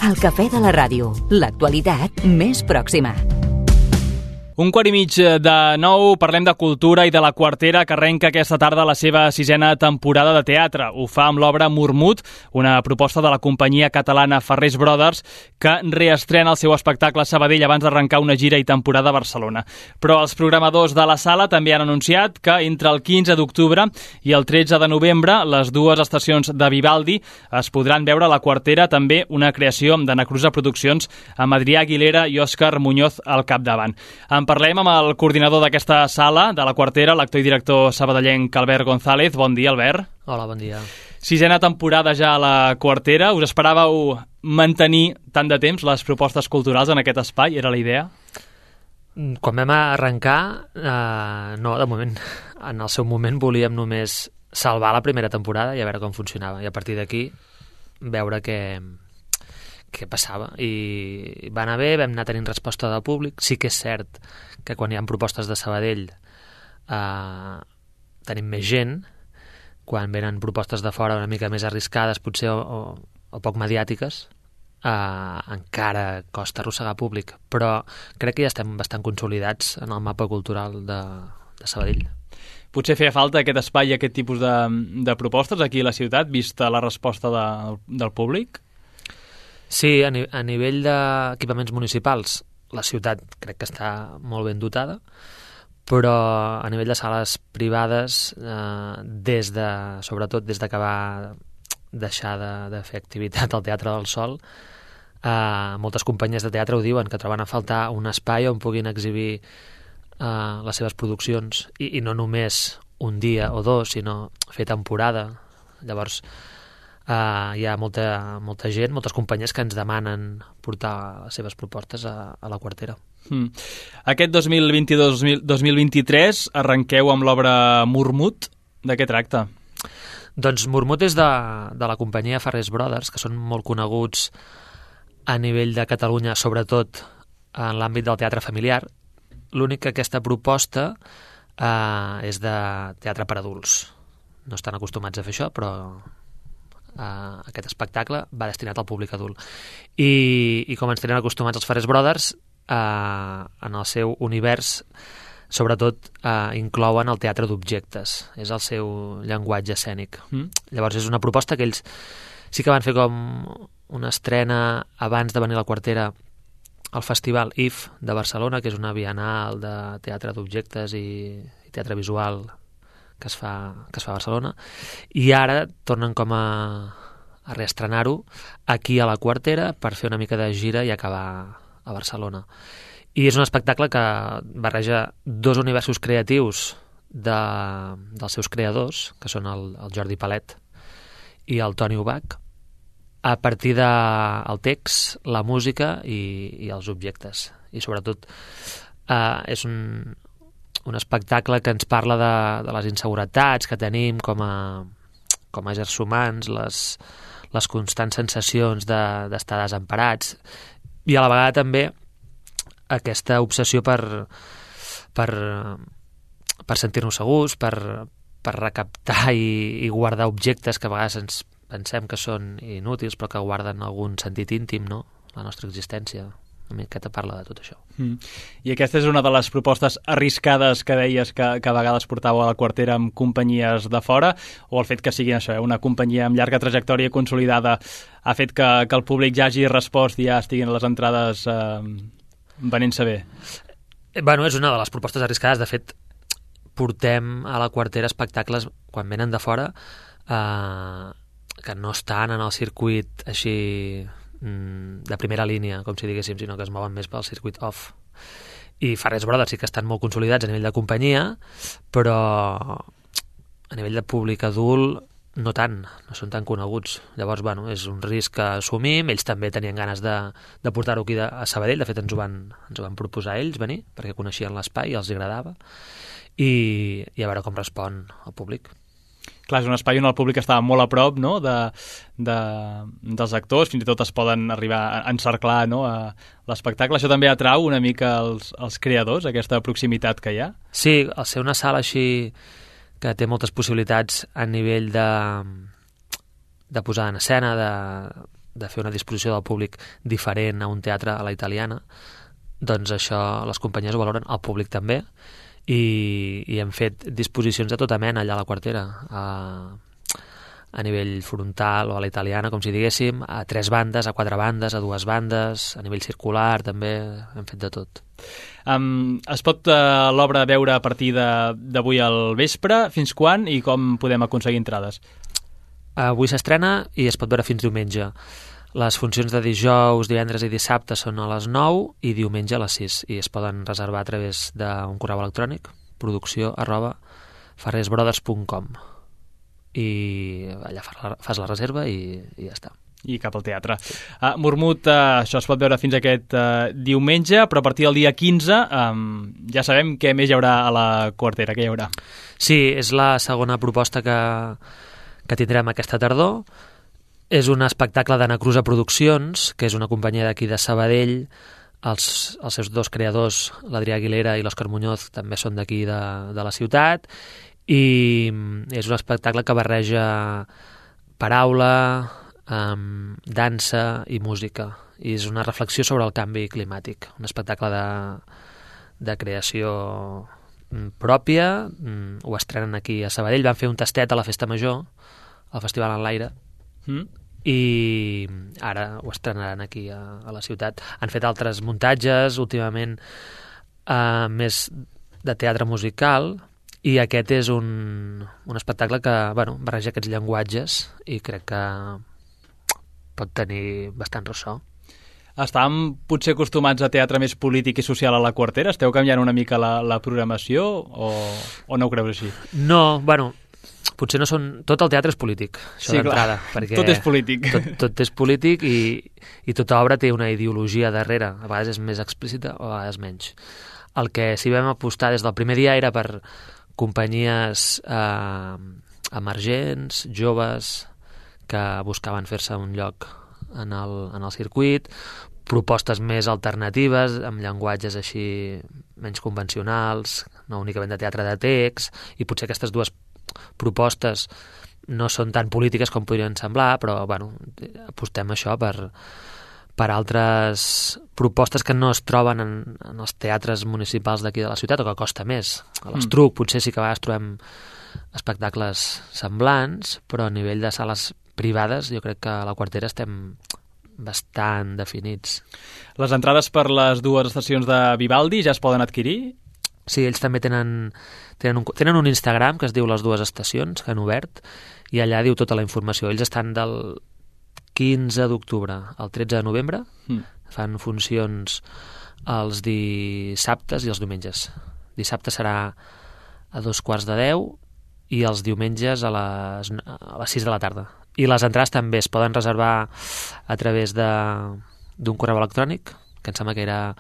El cafè de la ràdio, l'actualitat més pròxima. 8:45 parlem de cultura i de La Quartera, que arrenca aquesta tarda la seva 6ª temporada de teatre. Ho fa amb l'obra Mormut, una proposta de la companyia catalana Farrés Brothers, que reestrena el seu espectacle a Sabadell abans d'arrencar una gira i temporada a Barcelona. Però els programadors de la sala també han anunciat que entre el 15 d'octubre i el 13 de novembre, les dues estacions de Vivaldi es podran veure a La Quartera, també una creació d'Anna Cruza Produccions, amb Adrià Aguilera i Òscar Muñoz al capdavant. En parlem amb el coordinador d'aquesta sala, de La Quartera, l'actor i director sabadellenc Albert González. Bon dia, Albert. Hola, bon dia. 6ª temporada ja a La Quartera. Us esperàveu mantenir tant de temps les propostes culturals en aquest espai? Era la idea? Quan vam arrencar, no, de moment, en el seu moment volíem només salvar la primera temporada i a veure com funcionava. I a partir d'aquí veure què passava, i va anar bé, vam anar tenint resposta del públic. Sí que és cert que quan hi ha propostes de Sabadell tenim més gent, quan venen propostes de fora una mica més arriscades potser o poc mediàtiques, encara costa arrossegar públic, però crec que ja estem bastant consolidats en el mapa cultural de Sabadell. Potser feia falta aquest espai i aquest tipus de propostes aquí a la ciutat, vista la resposta del públic? Sí, a nivell d'equipaments municipals, la ciutat crec que està molt ben dotada, però a nivell de sales privades, sobretot des que va deixar de fer activitat al Teatre del Sol, moltes companyies de teatre ho diuen, que troben a faltar un espai on puguin exhibir les seves produccions, i no només un dia o dos, sinó fer temporada. Llavors, hi ha molta gent, moltes companyies que ens demanen portar les seves propostes a La Quartera. Aquest 2022-2023 arrenqueu amb l'obra Mormut. De què tracta? Doncs Mormut és de la companyia Farrés Brothers, que són molt coneguts a nivell de Catalunya, sobretot en l'àmbit del teatre familiar. L'únic que aquesta proposta és de teatre per adults. No estan acostumats a fer això, però aquest espectacle va destinat al públic adult. I com ens tenen acostumats els Farrés Brothers, en el seu univers sobretot inclouen el teatre d'objectes. És el seu llenguatge escènic. Llavors és una proposta que ells sí que van fer com una estrena abans de venir a La Quartera al Festival IF de Barcelona, que és una bienal de teatre d'objectes i teatre visual que es fa a Barcelona, i ara tornen com a reestrenar-ho aquí a La Quartera per fer una mica de gira i acabar a Barcelona. I és un espectacle que barreja dos universos creatius dels seus creadors, que són el Jordi Palet i el Toni Ubach, a partir del text, la música i els objectes. I sobretot és un espectacle que ens parla de les inseguretats que tenim com a éssers humans, les constants sensacions d'estar desemparats, i a la vegada també aquesta obsessió per sentir-nos segurs, per recaptar i guardar objectes que a vegades ens pensem que són inútils però que guarden algun sentit íntim, no? La nostra existència. Una miqueta parla de tot això. I aquesta és una de les propostes arriscades que deies que a vegades portàveu a La Quartera amb companyies de fora, o el fet que sigui això, una companyia amb llarga trajectòria consolidada ha fet que el públic ja hagi respost i ja estiguin les entrades venent-se bé? Bueno, és una de les propostes arriscades. De fet, portem a La Quartera espectacles quan venen de fora que no estan en el circuit així de primera línia, com si diguéssim, sinó que es mouen més pel circuit off. I Farrés Brothers sí que estan molt consolidats a nivell de companyia, però a nivell de públic adult no tant, no són tan coneguts. Llavors, bueno, és un risc que assumim. Ells també tenien ganes de portar-ho aquí a Sabadell. De fet, ens ho van proposar ells venir, perquè coneixien l'espai i els agradava. I a veure com respon el públic. Clar, és un espai on el públic està molt a prop, no?, dels actors, fins i tot es poden arribar a encerclar, no?, a l'espectacle. Això també atrau una mica els creadors, aquesta proximitat que hi ha? Sí, al ser una sala així que té moltes possibilitats a nivell de posar en escena, de fer una disposició del públic diferent a un teatre a la italiana, doncs això les companyies ho valoren, el públic també, i hem fet disposicions de tota mena allà a la Quartera, a nivell frontal o a la italiana, com si diguéssim, a 3 bandes, a 4 bandes, a 2 bandes, a nivell circular també, hem fet de tot. Es pot l'obra veure a partir d'avui al vespre? Fins quan i com podem aconseguir entrades? Avui s'estrena i es pot veure fins diumenge. Les funcions de dijous, divendres i dissabte són a les 9 i diumenge a les 6, i es poden reservar a través d'un correu electrònic, producció@farresbrothers.com, i allà fas la reserva i ja està. I cap al teatre. Mormut, això es pot veure fins aquest diumenge, però a partir del dia 15 ja sabem què més hi haurà a la Quartera, què hi haurà. Sí, és la segona proposta que tindrem aquesta tardor. És un espectacle d'Anacruza Produccions, que és una companyia d'aquí de Sabadell. Els seus 2 creadors, l'Adrià Aguilera i l'Òscar Muñoz, també són d'aquí de la ciutat, i és un espectacle que barreja paraula, dansa i música, i és una reflexió sobre el canvi climàtic, un espectacle de creació pròpia. Ho estrenen aquí a Sabadell, van fer un tastet a la Festa Major, al Festival en l'Aire, i ara ho estrenaran aquí a la ciutat. Han fet altres muntatges últimament, més de teatre musical, i aquest és un espectacle que barreja aquests llenguatges i crec que pot tenir bastant ressò. Estàvem potser acostumats a teatre més polític i social a la Quartera? Esteu canviant una mica la programació o no ho creus així? No, potser no són... Tot el teatre és polític, això d'entrada. Perquè tot és polític. Tot és polític i tota obra té una ideologia darrere. A vegades és més explícita o a vegades menys. El que sí vam apostar des del primer dia era per companyies emergents, joves, que buscaven fer-se un lloc en el circuit, propostes més alternatives, amb llenguatges així menys convencionals, no únicament de teatre de text, i potser aquestes 2 propostes no són tan polítiques com podrien semblar, però apostem això per altres propostes que no es troben en els teatres municipals d'aquí de la ciutat, o que costa més. A l'Estruc potser sí que a vegades trobem espectacles semblants, però a nivell de sales privades jo crec que a la Quartera estem bastant definits. Les entrades per les 2 estacions de Vivaldi ja es poden adquirir? Sí, ells també tenen un Instagram que es diu Les 2 Estacions, que han obert, i allà diu tota la informació. Ells estan del 15 d'octubre al 13 de novembre, fan funcions els dissabtes i els diumenges. Dissabte serà a 9:45 i els diumenges a les 6 de la tarda. I les entrades també es poden reservar a través d'un correu electrònic, que em sembla que era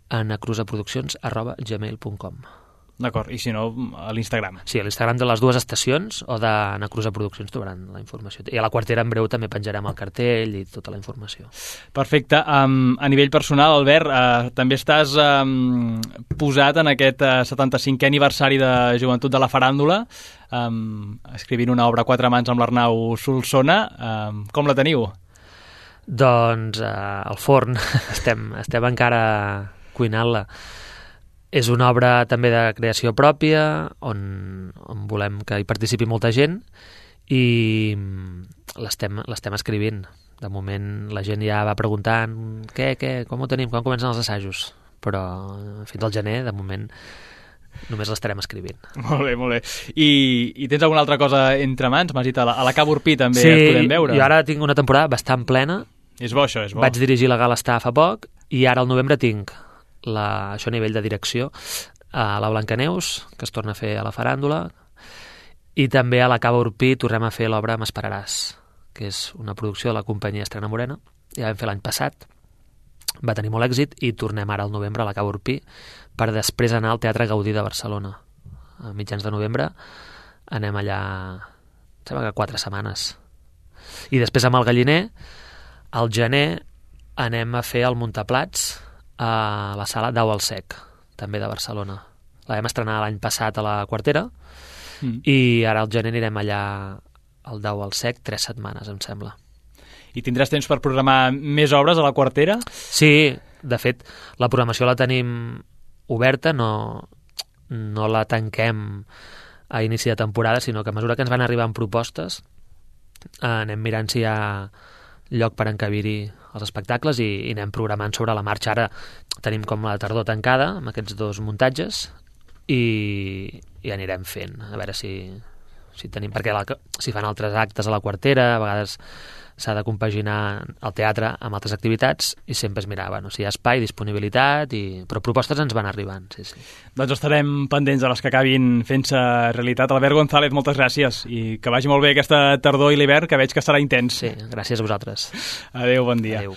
anacruzaproduccions@gmail.com. D'acord, i si no, a l'Instagram. Sí, a l'Instagram de les 2 estacions o d'Anacruza Produccions trobaran la informació. I a la Quartera en breu també penjarem el cartell i tota la informació. Perfecte. A nivell personal, Albert, també estàs posat en aquest 75è aniversari de Joventut de la Faràndula, escrivint una obra a 4 mans amb l'Arnau Solsona. Com la teniu? Doncs al forn. Estem encara cuinant-la. És una obra també de creació pròpia, on volem que hi participi molta gent, i l'estem escrivint. De moment la gent ja va preguntant com ho tenim, quan comencen els assajos, però fins al gener, de moment, només l'estarem escrivint. Molt bé, molt bé. I tens alguna altra cosa entre mans? M'has dit, a la Cava Urpí també sí, es podem veure. Sí, jo ara tinc una temporada bastant plena. És bo, això, és bo. Vaig dirigir la Gala Estar fa poc, i ara al novembre tinc això a nivell de direcció a la Blancaneus, que es torna a fer a la Faràndula, i també a la Cava Urpí tornem a fer l'obra M'esperaràs, que és una producció de la companyia Estrena Morena. Ja vam fer l'any passat, va tenir molt èxit, i tornem ara al novembre a la Cava Urpí per després anar al Teatre Gaudí de Barcelona. A mitjans de novembre anem allà, em sembla que 4 setmanes. I després amb el Galliner, al gener, anem a fer el Muntaplats a la sala Dau al Sec, també de Barcelona. La vam estrenar l'any passat a la Quartera, i ara al gener anirem allà al Dau al Sec 3 setmanes, em sembla. i tindràs temps per programar més obres a la Quartera? Sí, de fet, la programació la tenim oberta, no la tanquem a inici de temporada, sinó que a mesura que ens van arribant propostes anem mirant si hi ha lloc per encabir-hi els espectacles i anem programant sobre la marxa. Ara tenim com la tardor tancada amb aquests 2 muntatges i anirem fent, a veure si tenim, perquè si fan altres actes a la Quartera, a vegades s'ha de compaginar el teatre amb altres activitats i sempre es mirava si hi ha espai, disponibilitat, però propostes ens van arribant, sí. Doncs estarem pendents de les que acabin fent-se realitat. Albert González, moltes gràcies i que vagi molt bé aquesta tardor i l'hivern, que veig que serà intens. Sí, gràcies a vosaltres. Adéu, bon dia. Adéu.